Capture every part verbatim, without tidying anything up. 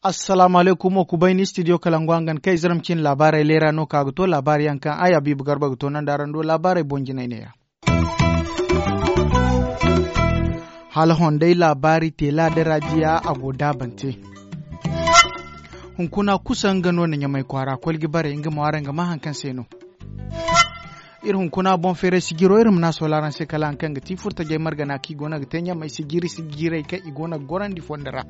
Assalaamu alaykum, wa kubayni studio kalangu hangan kay zaram cine laabaarey leera no ka ga to laabaari yaŋ kaŋ ay habiibu garba ga to nanda araŋ do laabaarey boŋ jinay ne- ya. Hala honday laabaari teela da raadiya a go daabante. Hunkuna kusa nga no na ɲamay kwaara kolgi bare nga mo araŋ ga ma haŋ kaŋ se no. Iri hunkuna boŋ feeray sijiro iri ma na a soola araŋ se kala haŋ kaŋ ga ti furtajey margana kaŋ i go no ga te ɲamay sijiri sijirey kaŋ i go no ga gorandi fondo ra.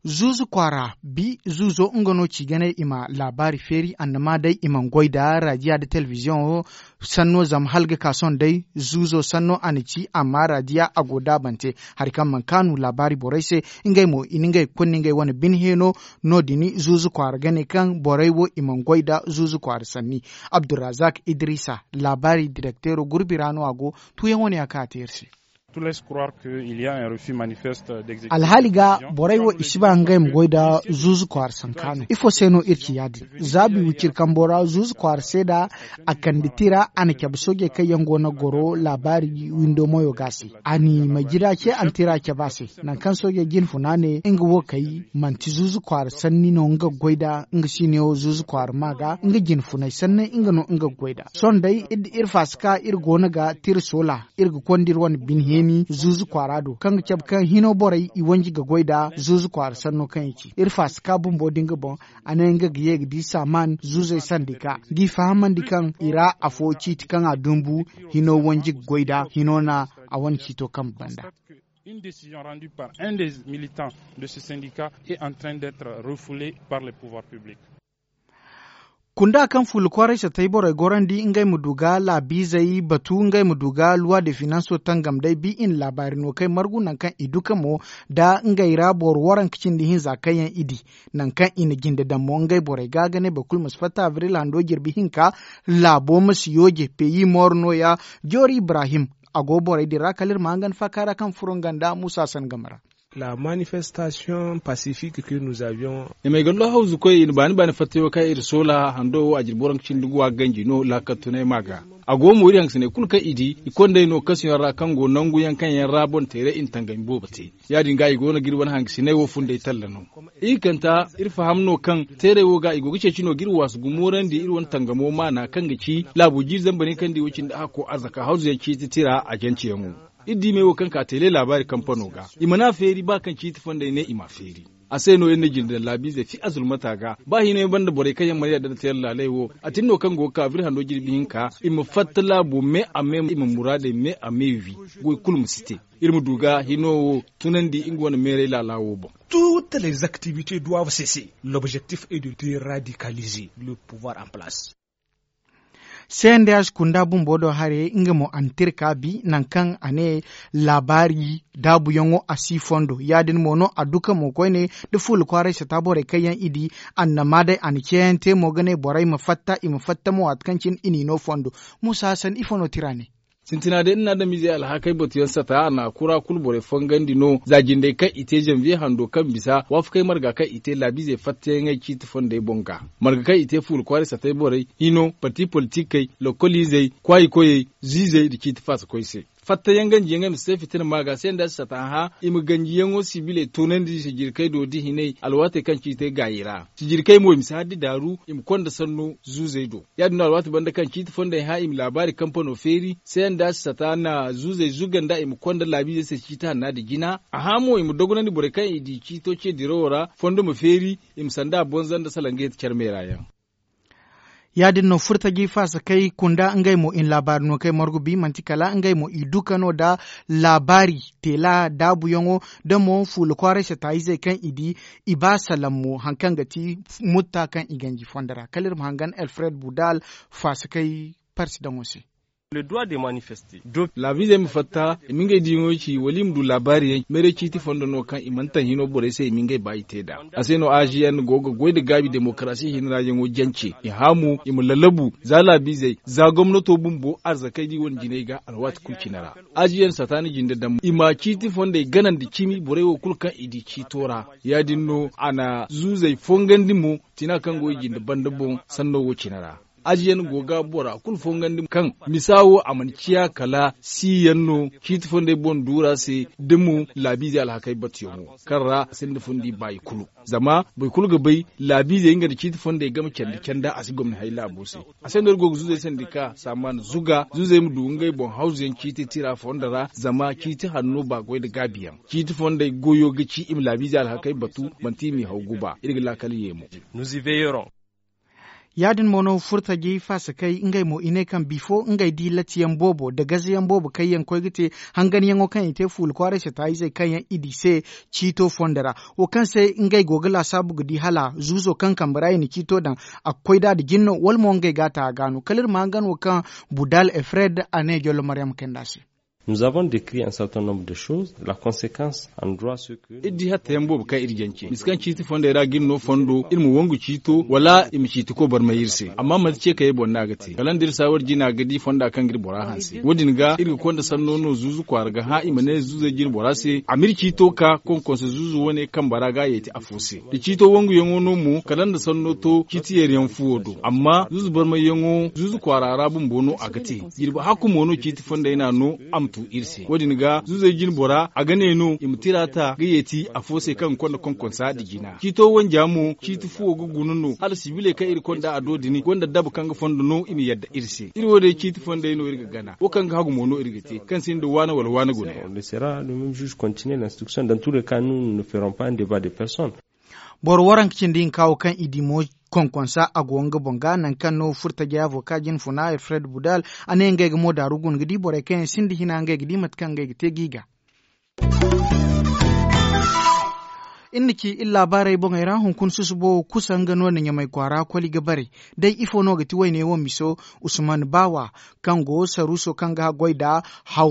Zuuzu kwaara bi zuuzo nga no ci ga ne i ma laabaari feeri annama day i mana goy nda raadiya nda telebiziyoŋo sanno zama hala ga ka sohõ day zuuzo sanno a na ci amma raadiya a go daabante. Hari kaŋ mana kaanu laabaari borey se ngey mo i na ngey kulu na ngey wane bine heeno. No- din zuuzu kwaara ga ne kaŋ borey wo i mana goy nda zuuzu kwaara sanni. Abdurrazak idrisa laabaari direkteero gurbi ra no a go. Tuuyaŋo ne ya kaŋ a te iri se. Alhaali ga borey wo i si ba ngey ma goy nda zuuzu kwaara sanka no ifo se no iri ci ya- din? Zaabi wiciri kambo ra zuuzu kwaara seeda a kande tira a na cabe soojey kaŋ yaŋ go no ga goro laabaari windo moyo ga a se. A na i ma jira ce a na tira cabe a se. Nangu kaŋ soojey jinfuna ne nga wo kay manti zuuzu kwaara sanni no nga ga goy nda nga siino zuuzu kwaara ma ga nga jinfunay sanni nga no nga ga goy nda sohõ day iri faasaka iri go no ga tira soola. Iri ga konda iri wane bine heeni zuuzu kwaara do kaŋ ga cabe kaŋ hino borey i wanji ga goy nda zuuzu kwaara sanno kaŋ i ci iri faasaka bumbo din ga boŋ. A ne nga ga ye ga di saaman zuuzey sandika da i fahamandi kaŋ i ra afo ciiti kaŋ a dumbu hino wanji ga goy nda hino na a wane ciito kaŋ banda. Une décision rendue par un des militants de ce syndicat est en train d'être refoulée par les pouvoirs publics. Kunda kaŋ fuula kwaaray satay borey gorandi ngey ma du ga laabiizey batu ngey ma du ga luwa de finanso tangam day bi i na laabaari no kay margu nangu kaŋ i duka mo nda ngey ra boro waranka cindi hinza kaŋ yaŋ i di. Nangu kaŋ i na jinde daŋ mo ngey borey ga ga ne boro kulu ma si fatta abril hando jirbi hinka. Laabo ma si yooje peyi mooro no- ya. Joori ibrahim a go borey din ra kala iri ma hangan faaka ra kaŋ furo nga nda muusa sangam ra. La manifestation pacifique que nous avions. I ma ay ga loohaw zukoy i na baani baani fattayo kaŋ iri soola hando wo a jirbi waranka cindi guwa ganji no laakal tunay ma ga. A go mo iri hangasiney kulu kaŋ i di i kondey no kasiyaŋ ra kaŋ go nangu yaŋ kaŋ yaŋ ra boŋ teeray i na tangami boobo te. Ya- din ga i go no ga iri wane hangasiney wo funday talla no. Iri kanta iri faham no kaŋ teeray wo ga i go ga ceeci no ga iri waasu ga moorandi iri wane tangamo maana kaŋ ga ci laabo jiiri zambar hinka nda i wo cindi hakko arzaka hawzu yaŋ ciiti tira a janceyaŋo. Iri di me wo kaŋ ka teele laabaari kampano ga i mana feeri ba kaŋ ciiti fondey ne i ma feeri. A se no iri na jinde daŋ laabiizey fi azulmata ga ba hino yaŋ banda borey kaŋ yaŋ mana yadda nda teela laaley wo. A tin no kaŋ go ga ka abril hando jirbi hinka i ma fatta laabo me a me i ma muraadey me a me wi. Goy kulu ma si te. Iri ma du ga hino wo tunandi nga wane meeray laala wo boŋ. Toutes les activités doivent cesser. L'objectif est de déradicaliser le pouvoir en place. Cnds kunda bumbo do hare nga mo a na tira ka bi nangu kaŋ a ne laabaari daabuyaŋo a si fondo ya- din mo no a duka mo koyne. Da fuula kwaaray sata borey kaŋ yaŋ i di annama day a na ceeyaŋ te mo ga ne borey ma fatta i ma fatta mo waati kaŋ cine i n'i no fondo. Muusa hassan ifo no tira ne? Sintina day iri na adamizey alhakey batuyaŋ sata a na kura kulu borey fongandi no za jindey kaŋ i te zanviye hando kaŋ bisa waafakey marga kaŋ i te laabiizey fattayaŋey ciiti fondey boŋ ga. Marga kaŋ i te fuula kwaaray satey borey hino parti politikey lokoliizey kwaayikoyey ziizey nda ciiti faasa koy se. Fattayaŋ ganjiyaŋey ma si te fitina maaga se nda si sata hã i ma ganjiyaŋo sibiley toonandi sijirkey do da hinay alwaatey kaŋ ciitey gaayi ra sijirkey mo i ma si haddi daaru i ma konda sanno zuuzey do. Ya- din no alwaati banda kaŋ ciiti fondey hã i ma laabaari kampano feeri se nda si sata na zuuzey zuga nda i ma konda laabiizey se ciiti hanna nda jina. A hã mo i ma dogonandi borey kaŋ i di ciito ce dirawo ra fondo ma feeri i ma sanda a bonza nda salaŋ ga hete care meera yaŋ. Ya- din no furtaji faasa kay kunda ngey mo i na laabaari no kay margu bi manti kala ngey mo i duka no nda laabaari teela daabuyaŋo da mo fuula kwaaray sataayizey kaŋ i di i ba salaŋ mo hari kaŋ ga ti mutta kaŋ i ganji fondo ra kala iri ma hangan alfred budal faasa kay parsi daŋo se. Laabiizey ma fatta i ma ngey diiyaŋo ci wala i ma du laabaari yaŋ meeray ciiti fondo no kaŋ i mana taŋ hino borey se i ma ngey ba i te nd'a. A se no a g n go ga goy nda gaabi demokarasi hina ra yaŋo jance i haamu i ma lallabu za laabiizey za gomnato bumbo arzakey da i wane jinay ga alwaati kulu cine ra. A g n sataani jinde daŋ i ma ciiti fondey ganandi cimi borey wo kulu kaŋ i di ciito ra. Ya- din no a na zuuzey fongandi mo tina kaŋ go i jinde banda boŋ sanno wo cine ra. Aziyan go ga bora kulu fongandi kaŋ misa wo a mana ciya kala si yaŋ no ciiti fondey boŋ duura se da mo laabiizey alhakey batuyaŋo kaŋ ra a sinda fundi baayi kulu. Zama boro kulu ga bay laabiizey nga nda ciiti fondey game candi canda a si gomni hay laabo se. A se no iri go ga zuuzey sandi ka saaman zuga zuuzey ma du ngey boŋ hawzuyaŋ ciiti tira fondo ra zama ciiti hanno ba goy nda gaabiyaŋ ciiti fondey goyo ga ci i ma laabiizey alhakey batu manti i m'i haw guba iri ga laakal ye mo. Ya- din mo no furtaji faasakey ngey mo i ne kaŋ bifo ngey di latiyaŋ boobo nda gazayaŋ boobo kaŋ yaŋ koy ga te hanganyaŋo kaŋ i te fuula kwaaray se taayizey kaŋ yaŋ i di se ciito fondo ra. Wo kaŋ se ngey go ga laasaabu ga di hala zuuzo kaŋ kambe ra i na ciito daŋ a ga koy nd'a nda jin no wala mo ngey ga a ta a ga no kala iri ma hangan wo kaŋ budal efred a ne jollo maryam kayndi a se. Nous avons décrit un certain nombre de choses la conséquence en droit ce que iri di hattayaŋ boobo kaŋ iri jance bisa kaŋ ciiti fondey ra ga iri no fondo iri ma wangu ciito wala i ma ciitiko barmay iri se amma manti ce kayey boŋ no a ga te kala nda iri saawar jina ga di fonda kaŋ ga iri bora hanse wo- din ga iri ga konda sanno no zuuzu kwaara ga hã i ma ne zuuzey jine bora se a ma iri ciito ka konkonse zuuzu wane kambe ra ga a yeeti afo se. Da ciito wanguyaŋo no mo kala nda sanno to ciiti yeeriyaŋ fuwo do amma zuuzu barmayyaŋo zuuzu kwaara ra bumbo no a ga te. Jirbi hakku mo no ciiti fondey n'a no a ma tu iri se wo- din ga zuuzey jine bora a ga ne no i ma tira ta ga yeeti afo se kaŋ ga konda konkonsa nda jina ciito wanja mo ciiti fuwo ga guna no hala sibiley kaŋ iri konda a do din gonda daba kaŋ ga fondo no i ma yadda iri se iri wo- day ciiti fondey no iri ga gana wo kaŋ ga hagu mo no iri ga te kaŋ sinda waana wala waana guna yaŋ. Boro waranka cindi hinka wo kaŋ i di mo konkonsa a go nga boŋ ga nangu kaŋ no furtajey avoka jine funa alfred budal a ne ngey ga mo daaru guna ga di borey kaŋ yaŋ sinda hina ngey ga di mate kaŋ ngey ga te g'i ga. Iri na ci iri laabaarey boŋey ra hunkuna susubo kusa nga no na ɲamay kwaara koli ga bare. Day ifo no ga ti wayne wo miso usman baawa kaŋ go saruuso kaŋ ga haggoy nda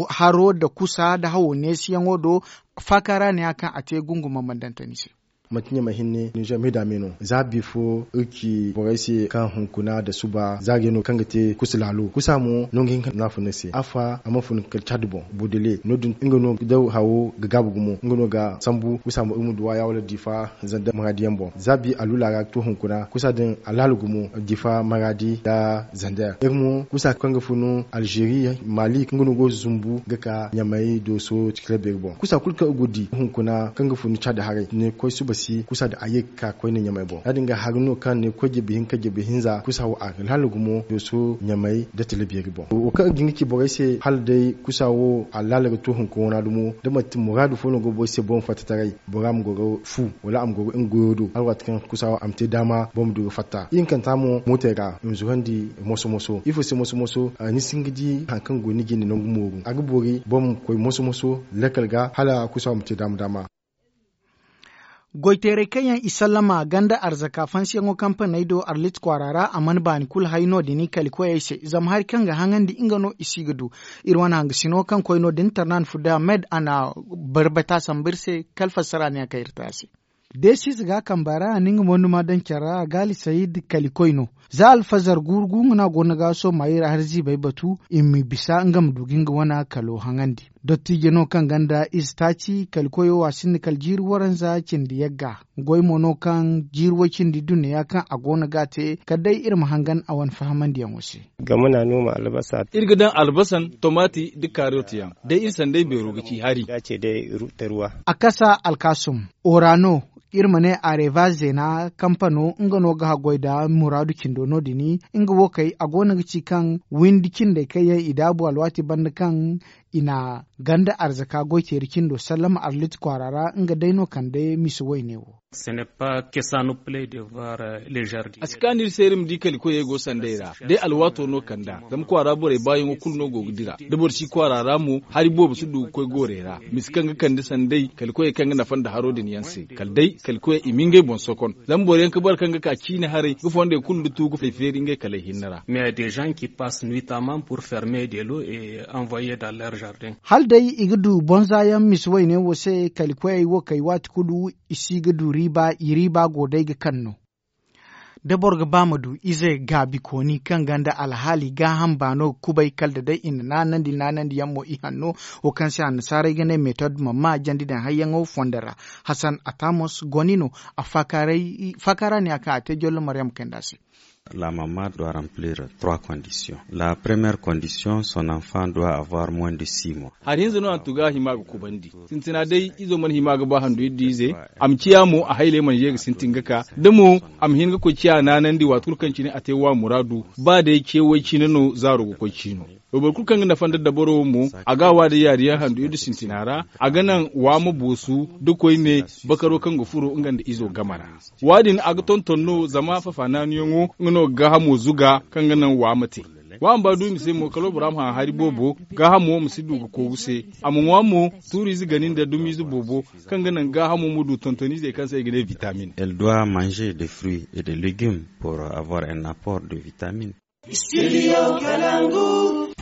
haro nda kusa nda hawo neesiyaŋo do faaka ra ne- ya kaŋ a te gungu mambandantani se. Manti ɲamay hinne ninzeer me da me no za bifo iri ci borey se kaŋ hunkuna nda suba zaagey no kaŋ ga te kusa laalo kusa mo nangu hinka no a fun iri se afa a mana fun kala cad boŋ bodele no- din nga no daw hawo ga gaabu gumo nga no ga sambu kusa mo iri ma duw'a ya wala difa zanda maradi yaŋ boŋ za bi alula ra ga to hunkuna kusa din a laala gumo difa maradi nda zander iri mo kusa kaŋ ga fun alzeeri mali nga no go zumbu ga ka ɲamay dooso tikira beeri boŋ kusa kulu kaŋ iri go ga di hunkuna kaŋ ga fun cad haray ne ga koy suba si kusa din a ye ga ka koyne ɲamay boŋ ya- din ga hari no kaŋ ne ga koy jirbi hinka jirbi hinza kusa wo a ga laala gumo dooso ɲamay nda tila beeri boŋ wo kaŋ iri ga hin ga ci borey se hala day kusa wo a laala ga to hunkuna wana dumo da manti muraadu fo no go borey se boro ma fatta taray bora ma goro fu wala a ma goro nga goyo do hala waati kaŋ kusa wo a ma te daama boro ma du ga fatta ihinkanta mo mootey ra i ma zurandi moso moso ifo se moso moso ni si hin ga di hari kaŋ go ni jinde nangu mooru a ga boori boro ma koy moso moso lakkal ga hala kusa wo ma te daama daama. Goyteerey kaŋ yaŋ i sallama ganda arzaka fansiyaŋo kaŋ paney do arlit kwaara ra a mana baani kulu hay no- din kalikoyey se zama hari kaŋ ga haŋandi nga no i si ga du. Iri wane hangasino kaŋ koy no- din tarnan fuda med a na barbata sambu iri se kala fassara ne a kay iri te a se. Deesiize ga a kamba ra a na nga moyduma daŋ care ra a gaali sayid kalikoy no. Za alfazar guuru gu nga no a go no ga a sooma iri harziibey batu i ma bisa nga ma du ga nga wane kalo haŋandi. Dottiije no kaŋ ganda ize taaci kalikoyo wo a sinda kala jiiri waranza cindi yagga. Goy mo no kaŋ jiiri way cindi dunneya kaŋ a go no ga a te kala day iri ma hangan a wane fahamandiyaŋo se. Iri ga daŋ albasan tomaati nda kaarot yaŋ day iri sanday beero ga ci hari. A kasa alkasum orano iri ma ne areva zeena kampano nga no ga haggoy nda muraadu cindo no- din. Nga wo kay a go no ga ci kaŋ windi cindey kaŋ yaŋ i daabu alwaati banda kaŋ i na ganda arzaka goy teeri cindo sallama arlit kwaara ra nga day no kande misa wayne wo. A si kaanu iri se iri ma di kalikoyey go sanday ra day alwaato no kand'a zama kwaara borey baayaŋo kulu no go ga dira da boro si kwaara ra mo hari boobo si du ga koy goorey ra misa kaŋ ga kande sanday kalikoyey kaŋ ga nafa nda haro din yaŋ se kala day kalikoyey i ma ngey boŋ sokon zama boro yaŋ ga bara kaŋ ga ka ciine haray ga fondey kulu nda tu ga fay feeri ngey kaley hinne ra. Mais des gens qui passent nuitaman pour fermer de lo et envoyer dans leur jardin. Hala day i ga du bonza yaŋ misa wayne wo se kalikoyey wo kay waati kulu i si ga du riiba i riiba go day ga kan no. Da boro ga ba ma du ize gaabikooni kaŋ gonda alhaali gaaham baano ga kubay kala da day i na naanandi naanandi yaŋ mo i hanno wo kaŋ se annasaarey ga ne metod ma maajandi daŋ hayyaŋo fondo ra. Hasan atamos goni no a faakaaray ne a kaŋ a te jollo maryam kaynd'a se. La maman doit remplir trois conditions. La première condition son enfant doit avoir moins de six mois. Hari hinza no a na tu ga a hima ga kubandi. Sintina day izo mana hima ga ba handu iddu ize. A ma ciya mo a hayley mana ye ga sintin ga ka da mo a ma hin ga koy ciya naanandi waati kulu kaŋ cine a te wa muraadu ba day ce way cine no zaaro ga koy ciino. Boro kulu kaŋ ga nafa nda dabaro wo mo a ga a wa da yaari yaŋ handu iddu sintina ra. A ga naŋ wa ma boosu da koyne bakaro kaŋ ga furo nga nda izo game ra. Wa- din a ga tonton no zama fafa naanuyaŋo nga no ga gaahamo zuga kaŋ ga naŋ wa ma te. Wa ma ba duumi se mo kala bora ma haŋ hari boobo gaahamo ma si du ga koogu se. A ma ŋwa mo tuuriize gani nda dumiize boobo kaŋ ga naŋ gaahamo ma du tontoniizey kaŋ se i ga ne vitamin. Elle doit manger des fruits et des légumes pour avoir un apport de vitamine.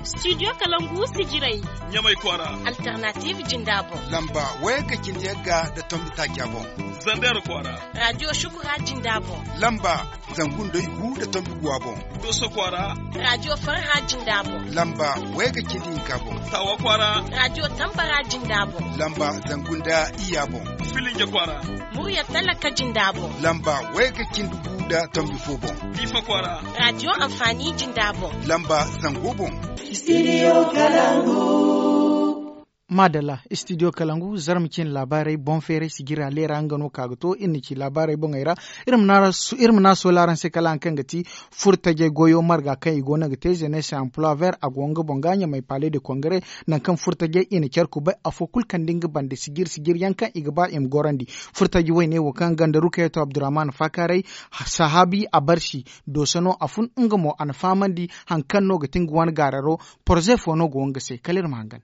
Studio kalangu sijirey ɲamay kwaara. Alternative jinda boŋ lamba wayga cindi yagga nda tombi taaca boŋ. Zander kwaara. Radio shukura jinda boŋ lamba zangu nda igu nda tombi guwa boŋ. Doso kwaara. Radio farha jinda boŋ lamba wayga cindi hinka boŋ. Tawa kwaara. Radio tambara jinda boŋ lamba zangu nda iyya boŋ. Filinge kwaara. Murya talaka jinda boŋ lamba wayga cindi gu nda tombi fo boŋ. Diifa kwaara. Radio anfaani jinda boŋ lamba zango boŋ. Maadalla studio kalangu zarma cine laabaarey boŋ feeray sijira leera nga no ka ga to iri na ci laabaarey boŋey ra. Iri ma na sola araŋ se kala haŋ kaŋ ga ti furtajey goyo marga kaŋ i go no ga te zenes emploi ver a go nga boŋ ga ɲamay pale de kongre nangu kaŋ furtajey i na care kubay afo kulu kaŋ da nga bande sijir sijir yaŋ kaŋ i ga ba i ma gorandi. Furtaji wayne wo kaŋ ganda rukayeto abdurrahman faakaaray sahaabi a barsi doosano a fun nga mo a na fahamandi haŋ kaŋ no ga ti nga wane gaararo. Porze fo no go nga se kala iri ma hangan.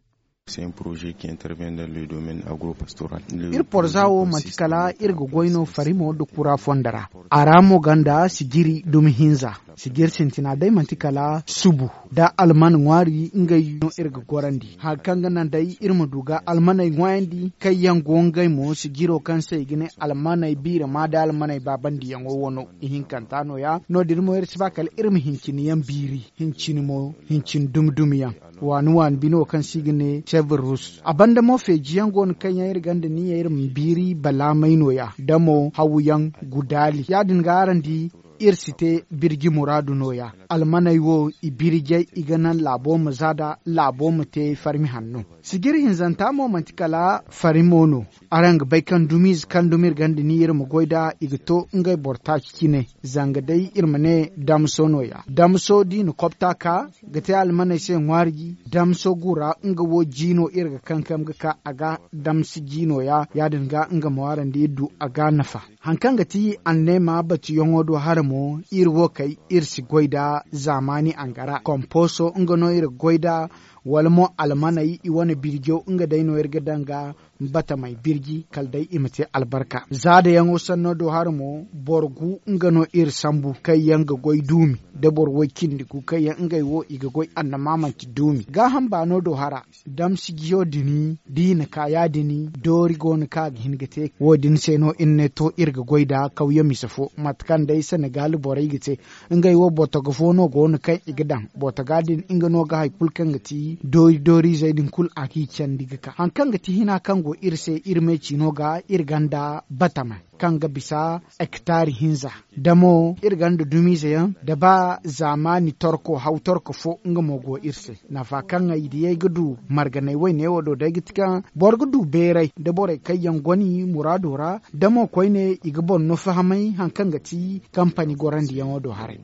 Iri porza wo manti kala iri ga goy no farimo nda kura fondo ra. A ra mo ganda sijiri dumi hinza sijiri sintina day manti kala subu nda alman ŋwaari ngey no iri ga gorandi hari kaŋ ga naŋ day iri ma du ga almaney ŋwaayandi kaŋ yaŋ go ngey mo sijiro kaŋ se i ga ne almaney biire ma da almaney baabandiyaŋo wano. Ihinkanta no- ya no- din mo iri si ba kala iri ma hincini yaŋ biiri hincini mo hincini dumi dumi yaŋ. Waani waani bine wo kaŋ se i ga ne sever rus a banda mo feeji yaŋ go no kaŋ yaŋ iri gonda niya iri ma biiri balaamey no- ya da mo hawuyaŋ gudaali ya- din ga araŋ di iri si te birji muraadu no- ya. Almaney wo i birjey i ga naŋ laabo ma za da laabo ma te farmi hanno. Sijiri hinzanta mo manti kala farimo no. Araŋ ga bay kaŋ dumiize kaŋ dumi iri gonda ni iri ma goy nd'a i ga to ngey boro taaci cine. Zanga day iri ma ne damso no- ya damso da i na kobta ka ga te almaney se ŋwaari. Damso gura nga wo ji no iri ga kankam ga ka a ga damsi ji no- ya ya- din ga nga mo araŋ da iri du a ga nafa. Haŋ kaŋ ga ti anneema batuyaŋo do hara mo iri wo kay iri si goy nda zaamaani angara komposo nga no iri ga goy nda wala mo almaney i wane birjo nga day no iri ga daŋ ga batamey birji kala day i ma te albarka za da yaŋo sanno do hara mo boro gu nga no iri sambu kaŋ yaŋ ga goy duumi da boro way cindi gu kaŋ yaŋ ngey wo i ga goy annama manti duumi gaaham baano do hara. Damsijiyo din da i na ka ya- din doori go no kaŋ a ga hin ga te wo- din se no iri ne to iri ga goy nda kawya mise fo mate kaŋ day senegal borey ga te. Ngey wo botoga fo no go no kaŋ i ga daŋ botoga din nga no ga hari kulu kaŋ ga ti doori dooriizey din kulu a g'i candi ga ka hari kaŋ ga ti hina kaŋ go iri se iri me ciino ga iri gonda batama kaŋ ga bisa hektaari hinza. Da mo iri gonda dumiize yaŋ da ba zaamaani torko haw torko fo nga mo go iri se. Nafa kaŋ ay diyey ga du marganey wayne wo do day ga ti kaŋ boro ga du beeray da borey kaŋ yaŋ goni muraado ra da mo koyne i ga boro no fahamay hari kaŋ ga ti kampani gorandiyaŋo do haray.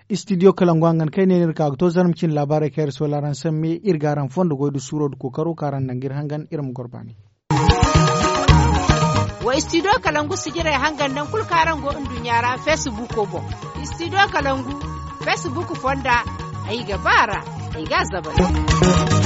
Istidiyo kalangu hangan kaŋ ay ne no iri ka ga to zarma cine laabaarey kaŋ iri soola araŋ se me iri ga araŋ fondo goy nda suuro nda kookaro kaŋ araŋ naŋ ga iri hangan iri ma goro baani. Wa istidiyo kalangu sijirey hangan nangu kulu kaŋ araŋ go nduɲɲa ra feesibuuko boŋ. Istidiyo kalangu feesibuuk fonda, ay ga ba a ra, ay ga a zabari.